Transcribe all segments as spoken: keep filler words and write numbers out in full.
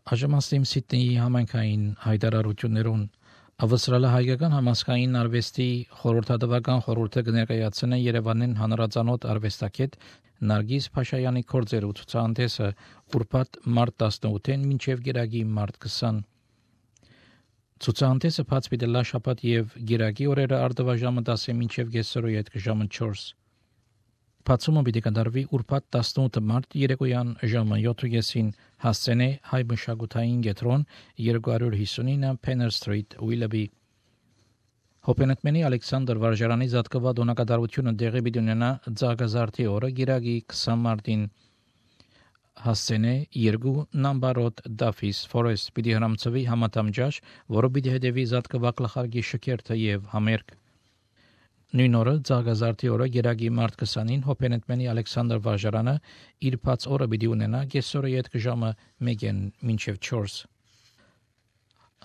Աժամաստիմ Սիդնեի համայնքային հայտարարություններուն ավստրալիա հայկական համասկային արվեստի խորհրդատվական խորհուրդը կներկայացնե Երևանին հանրազանոթ արվեստագետ Նարգիս Փաշայանի կորձեր ու ցուցահանդեսը ուրբաթ մարտ տասնութին մինչև գիրագի մարտ քսան։ Ցուցահանդեսը բաց պիտի լա շաբաթ եւ գիրագի օրերը արդվաժամը տասը մինչև կեսօրի հետ ժամը չորս։ Բացումը պիտի կատարվի ուրբաթ տասնութ մարտ երեկոյան ժամը յոթին հասցենե հայ մշակութային կենտրոն երկու հիսունինը Penner Street, Willoughby։ Հոպենտմենի Ալեքսանդր Վարժարանի զատկված դոնակատարությունը դեղի պիտի ունենա Ձագազարդի օրը գիրագի քսան մարտին հասցենե երկու նամբարոտ Duffy's Forest պիտի հրամցվի համատամջաշ, որը պիտի հետևի զատկված գլխարկի շքերթը եւ համերգ։ Նույն օրը Ձագազարդի օրը գիրագի մարտ քսանին Հոպենտմենի Ալեքսանդր Վարժարանը իր բաց օրը պիտի ունենա կեսօրի հետ ժամը մեկին մինչև չորս։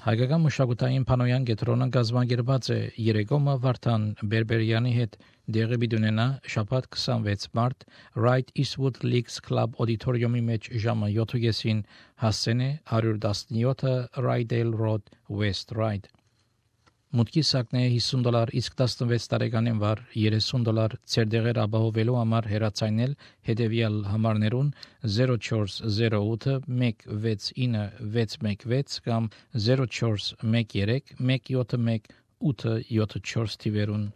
Հայկական մշակութային Փանոյան կենտրոնը գազམ་ագերված է Երեգոմը Վարդան Բերբերյանի հետ դեղի պիտի ունենա շաբաթ քսանվեց մարտ Right Eastwood Leagues Club auditorium-ի մեջ ժամը յոթին հասցենե հարյուր տասնյոթ Rydale Road West Ryde։ Մուտքի սակն է հիսուն դոլար, իսկ տասնվեց տարեկանին վար երեսուն դոլար ցերդեղեր ապահովելու համար հեռացայնել հետևյալ համարներուն զերո չորս զերո ութ մեկ վեց ինը վեց մեկ վեց կամ զերո չորս մեկ երեք մեկ յոթ մեկ ութ յոթ չորս թիվերուն։